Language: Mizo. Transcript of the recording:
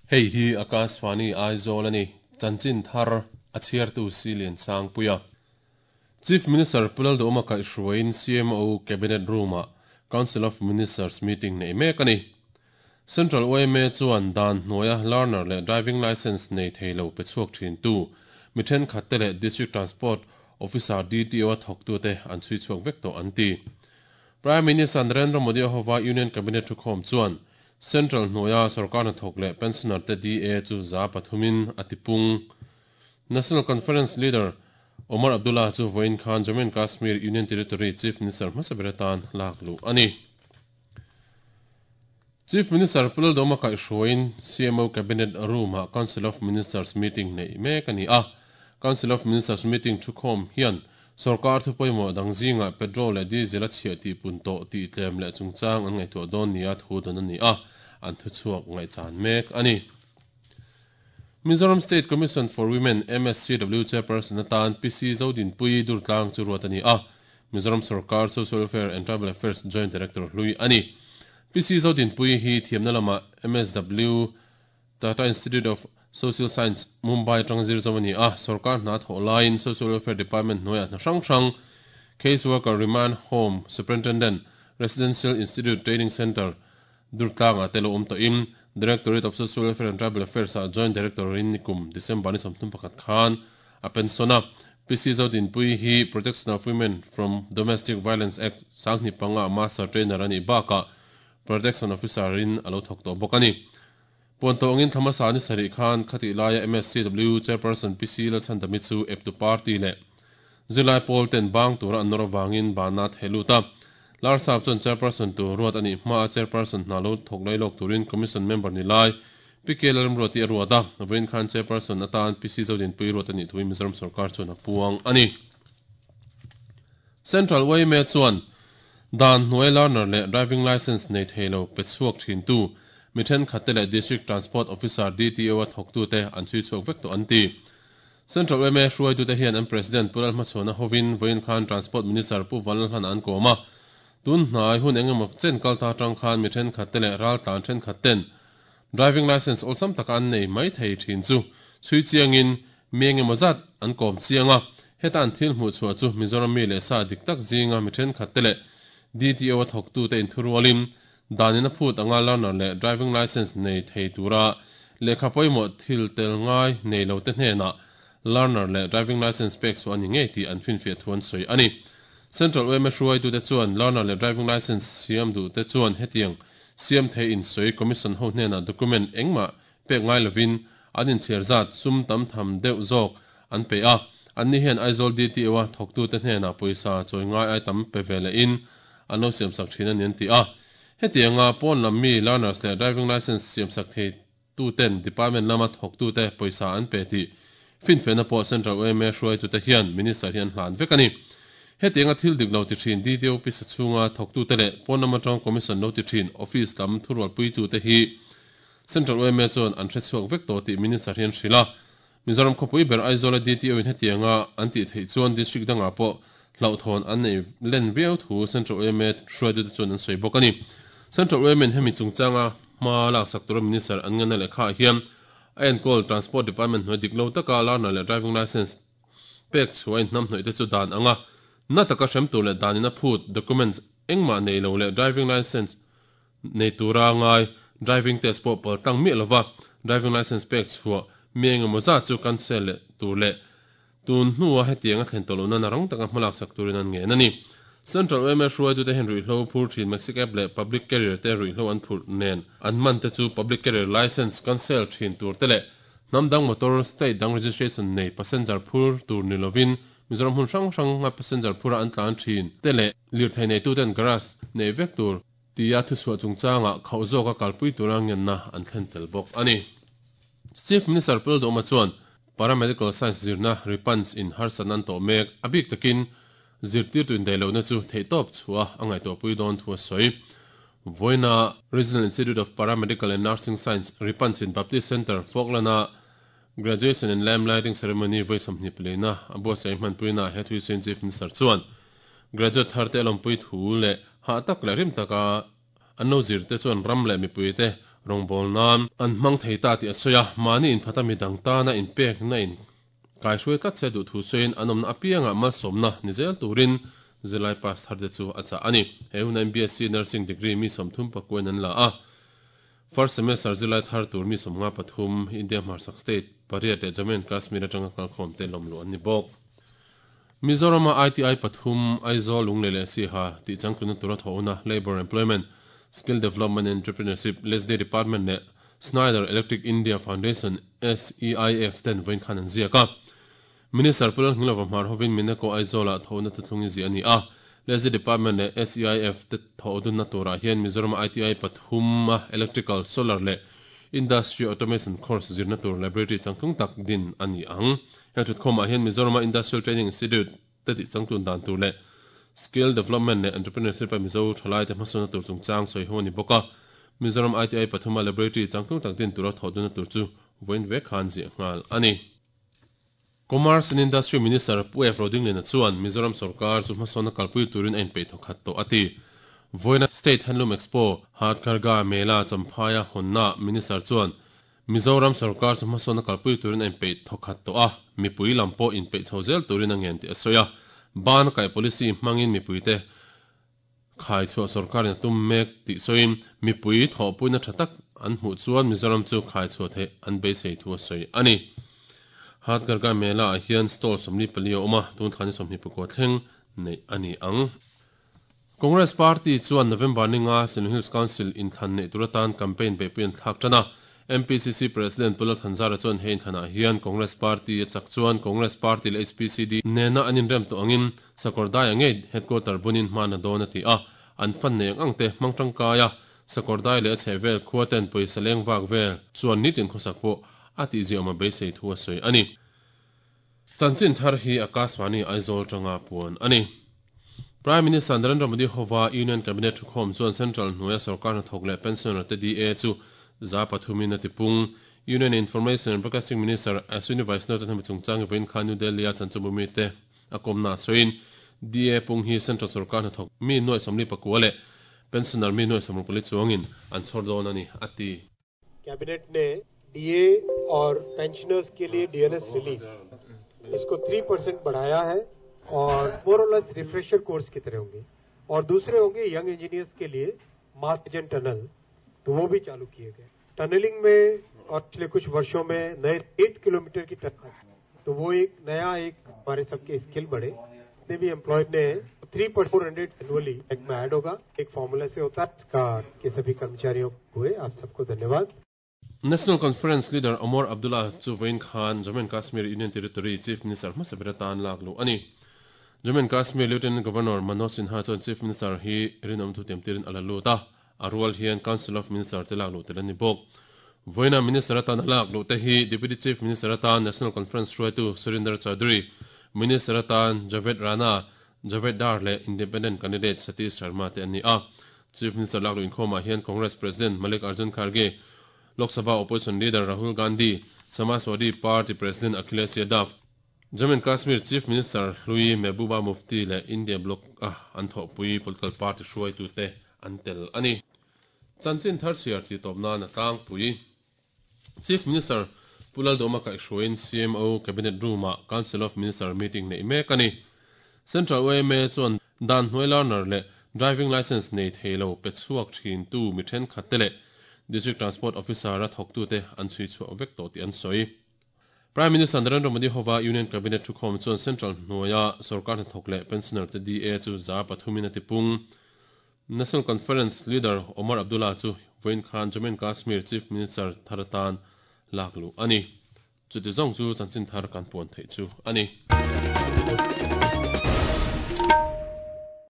Hei hi Akashvani Aizawl a ni, chanchin thar a chhiartu Silian Sangpuia. Chief Minister Pu Lalduhawma kaihhruaiin CMO Cabinet Room-ah Council of Ministers meeting neih mek a ni. Central yma chuan dan hnuaia learner leh driving licence nei thei lo pe chhuak thintu mi thenkhatte leh District Transport Officer, DTO, a thawktute an chhui chhuak vek tawh an ti. Prime Minister Narendra Modi a hova Union Cabinet thukhawm chuan Central hnuaia sorkar hnathawk leh pensioner te DA chu 300-in a tipung. National Conference leader Omar Abdullah chu vawiin khan Jammu and Kashmir Union Territory Chief Minister hmasa ber atan lak luh a ni. Chief Minister Pu Laldawma kaihhruaiin CMO Cabinet Room-ah Council of Ministers meeting neih mek a ni a. Council of Ministers meeting thukhawm hian Sorkar thu pawimawh dang zingah petrol leh diesel a chhiah tih pun tawh tih tlem leh chungchang an ngaihtuah dawn nia thu dawn a ni a, an thuchhuak ngaihchan mek a ni. Mizoram State Commission for Women, MSCW, Chairperson atan PC Zodinpuii Durtlang chu ruat a ni a, Mizoram Sorkar Social Welfare and Tribal Affairs Joint Director hlui a ni. PC Zodinpuii hi thiamna lamah MSW Tata Institute of Social Science, Mumbai atanga zir zawm a ni a, sorkar hna thawh laiin Social Welfare Department hnuaiah hna hrang hrang, Case Worker, Remand Home Superintendent, Residential Institute Training Centre, Durtlangah te lo awm tawhin Directorate of Social Welfare and Tribal Affairs-ah Joint Director-in nikum December ni 31 khan a pension a. PC Zodinpuii hi Protection of Women from Domestic Violence Act 2005-ah Master Trainer a nih bakah Protection Officer-in a lo thawk tawh bawk a ni. Puan tawh angin thla hmasa ni sarih khan khatih laia MSCW Chairperson PC Lalchhandami chu eptu party leh zirlai pawl ten bang tura an nawr avangin banna a theh lut a. Larsap chuan Chairperson tur ruat a nih hmaa Chairperson hna lo thawk lai lawk turin Commission member ni lai PK Lalramruati a ruat a. Vawiin khan Chairperson atan PC Zodinpui ruat a nih thuin Mizoram sorkar chuan a puang a ni. Central yma chuan dan hnuai learner leh driving licence nei thei lo pe chhuak thintu mi thenkhatte leh District Transport Officer, DTO, a thawktute an chhui chhuak vek tawh an ti. Central yma hruaitute hian an President Pu Lalhmachhuana hovin vawiin khan Transport Minister Pu Vanlalhlana an kawm a. Tun hnai hun engemaw chen kal ta atang khan mi thenkhatte leh raltlan thenkhatten driving licence awlsam taka an nei mai thei thin chu chhui chiangin Mi engemaw zat an kawm chiang a, heta an thil hmuh chhuah chu Mizoram mi leh sa dik tak zinga mi thenkhatte leh DTO a thawktute inthurualin danin a phut anga learner leh driving licence nei thei tura lehkha pawimawh thil tel ngai nei lote hnenah learner leh driving licence pek chhuah a ni ngei tih an finfiah thu an sawi a ni. Central yma hruaitute chuan learner leh driving licence siam duhte chuan hetiang siam thei insawi commission ho hnenah document engmah pek ngai lovin an inchhiar zat sum tam tham deuh zawk an pe a, anni hian Aizawl DTO-a thawktute hnenah pawisa chawi ngai ai tam pe ve lehin an lo siamsak thin a ni an ti a. Hetianga pawn lam mi learners leh driving licence siamsak thei tuten department lama thawktute pawisa an pe tih finfiahna pawh Central yma hruaitute hian Minister hi an hlan vek a ni. Hetianga thil dik lo ti thin DTO pisa chhunga thawktute leh pawn lam atanga commission lo ti thin office lam thurualpuitute hi Central yma chuan an hrechhuak vek tawh tih Minister hian hrilh a. Mizoram khawpui ber Aizawl-a DTO in hetianga an tih theih chuan District dangah pawh hlauhthawn an nei len viau thu Central yma hruaitute chuan an sawi bawk a ni. Central yma in hemi chungchanga hma laksak tura Minister an ngenna lehkhaah hian a enkawl Transport Department hnuai dik lo taka learner leh driving licence pek chhuah in hnamhnawih te chu dan anga na taka hrem tur leh danin a phut documents engmah nei lo leh driving licence Nei tura ngai driving test pawh pal tlang miah lova driving licence pek chhuah mi engemaw zat chu cancel leh tur leh tun hnua hetiang a thlen tawh loh nana rang taka hmalak sak turin an ngen a ni. Central yma hruaitute hian ruihhlo phur thin Maxicab leh Public Carrier te ruihhlo an phurh nen an man te chu Public Carrier licence cancel thin tur te leh hnam dang motor state dang registration nei passenger phur tur ni lovin Mizoram hmun hrang hranga passenger phura an tlan thin te leh lirthei neituten garage nei vek tur tia thuchhuah chungchangah khauh zawka kalpui tura ngenna an thlen tel bawk a ni. Chief Minister Pu Lalduhoma chuan Paramedical Science zirna Ripans in harsatna an tawh mek, a bik takin zirtirtu indaihlohna chu theihtawp chhuah a ngaihtuahpui dawn thu a sawi. Vawiina Regional Institute of Paramedical and Nursing Science, Ripans in Baptist Centre, Falkland-a Graduation and Lamp Lighting Ceremony vawi 24 na a buatsaih hmanpuinaah he thuisawiin Chief Minister chuan Graduate tharte a lawmpui thu leh hah tak leh rim taka an lo zirte chuan ram leh mipuite Rawngbawl nan an hmang thei ta tih a sawi a, mahni inphata midang tana inpekna in kaihruai tlat se duh thu sawiin an awmna apiangah malsawmna ni zel turin zirlai pass thar te chu a chah a ni. He huna MBSc Nursing degree mi 36 in an la a, first semester zirlai thar tur mi 53 India hmarchhak state pariat leh Jammu and Kashmir atanga kalkhawm te lawmluh an ni bawk. Mizorama ITI pathum, Aizawl, Lunglei leh Siaha tih changtlunna tura thawh huna Labour Employment, Skill Development and Entrepreneurship, LESDE, Department leh Snyder Electric India Foundation, SEIF, ten vawiin khan an ziak a. Minister Pu Lalngilova hmar hovin Mineko Aizawlah thawhna thuthlung i ziah a ni a. LESDE Department leh SEIF te thawh dunna turah hian Mizorama ITI pathum a Electrical, Solar leh Industry Automation course zirna tur laboratory changtlung tak din a ni ang. Heng thutkhawmah hian Mizorama Industrial Training Institute te tih changtlun dan tur leh Skill Development leh Entrepreneurship a Mizo thalaite hmasawnna tur chungchang sawi ho a ni bawk a. Mizoram ITI pathuma laboratory changtlung tak din tura thawh dunna tur chu vawiin vek khan ziah nghal a ni. Commerce and Industry Minister Pu F. Rodingliana chuan Mizoram sorkar chu hmasawnna kalpui turin a inpeih thawkhat tawh a ti. Vawiina State Handloom Expo, Hathkargha Mela Champhaia hawnnaah Minister chuan Mizoram sorkar chu hmasawnna kalpui turin a inpeih thawkhat tawh a, mipui lam pawh inpeih chho zel turin a ngen tih a sawi a. Ban kaih policy hmangin mipuite khai chhuah sorkarin a tum mek tih sawiin mipui thawhpuina tha tak an hmuh chuan Mizoram chu khai chhuah theih an beisei thu a sawi a ni. Hathkargha Mela ah hian stall 44 a awm a, tun thla ni 24 thleng neih a ni ang. Congress Party chuan November ninga Silung Hills Council inthlan neih tur atan campaign beihpui an thlak tan a. MPCC President Pu Lalthanzara chuan he inthlanah hian Congress Party a chak chuan Congress Party leh HPCD nena an inrem tawh angin Sakawrdai-a ngei headquarter bunin hman a dawn a ti a. An fan nei ang ang te hmang tangkai a, Sakawrdai leh a chhehvel khua ten pawisa leng vak vel chuan nitin khawsak pawh a tihziahawm a beisei thu a sawi a ni. Chanchin thar hi Akashvani Aizawl tanga puan a ni. Prime Minister Narendra Modi hova Union Cabinet thukhawm chuan Central hnuaia sorkar hnathawk leh pensioner te DA chu 3% in a tipung. Union Information and Broadcasting Minister Ashwini Vaishnaw chuan hemi chungchang hi vawiin khan New Delhi-a chanchinbu mite a kawmna a sawiin DA pung hi Central sorkar hnathawk mi nuaih 49 leh pensioner mi nuaih 64 chuangin an chhawr dawn a ni, a ti. Cabinet ने DA और pensioners के लिए DNS relief इसको 3 percent बढ़ाया है और मोर और less refresher course की तरह होंगे और दूसरे होंगे यंग इंजीनियर्स के लिए मार्जन टनल तो वो भी चालू किए गए टनलिंग में और पिछले कुछ वर्षों में नए 8 किलोमीटर की टनल तो वो एक नया एक हमारे सबके स्किल बढ़े जितने भी एम्प्लॉयड ने 3.400 एनुअली एक में ऐड होगा एक फॉर्मूला से होता है इसका के सभी कर्मचारियों हुए आप सबको धन्यवाद National Conference leader Omar Abdullah chu vawiin khan Jammu and Kashmir Union Territory Chief Minister hmasa ber atan lak luh a ni. Jammu and Kashmir Lieutenant Governor Manoj Sinha chuan Chief Minister hi rinawm thu tiamtirin a la lut a, a rual hian Council of Minister te lak luh tel a ni bawk. Vawiina Minister atana lak luh te hi Deputy Chief Minister atan National Conference hruaitu Surinder Chaudhary, Minister atan Javed Rana, Javed Dar leh Independent candidate Satish Sharma te an ni a. Chief Minister lak luh inkhawmah hian Congress President Mallikarjun Kharge, Lok Sabha Opposition Leader Rahul Gandhi, Samajwadi Party President Akhilesh Yadav, Jammu and Kashmir Chief Minister hlui Mehbooba Mufti leh India Bloc a an thawhpui political party hruaitute an tel a ni. Chanchin thar chhiar tih tawp nan a tlangpui. Chief Minister Pu Lalduhma kaihhruaiin CMO Cabinet Room-ah Council of Minister meeting neih mek a ni. Central yma chuan dan hnuai learner leh driving licence nei thei lo pe chhuak thintu mi thenkhatte leh District Transport Officer-a thawktute an chhui chhuak vek tawh tih an sawi. Prime Minister Narendra Modi hova Union Cabinet thukhawm chuan Central hnuaia sorkar hnathawk leh pensioner te DA chu 3% in a tipung. National Conference leader Omar Abdullah chu vawiin khan Jammu and Kashmir Chief Minister thar atan lak luh a ni. Chuti zawng chu chanchin thar kan puan theih chu a ni.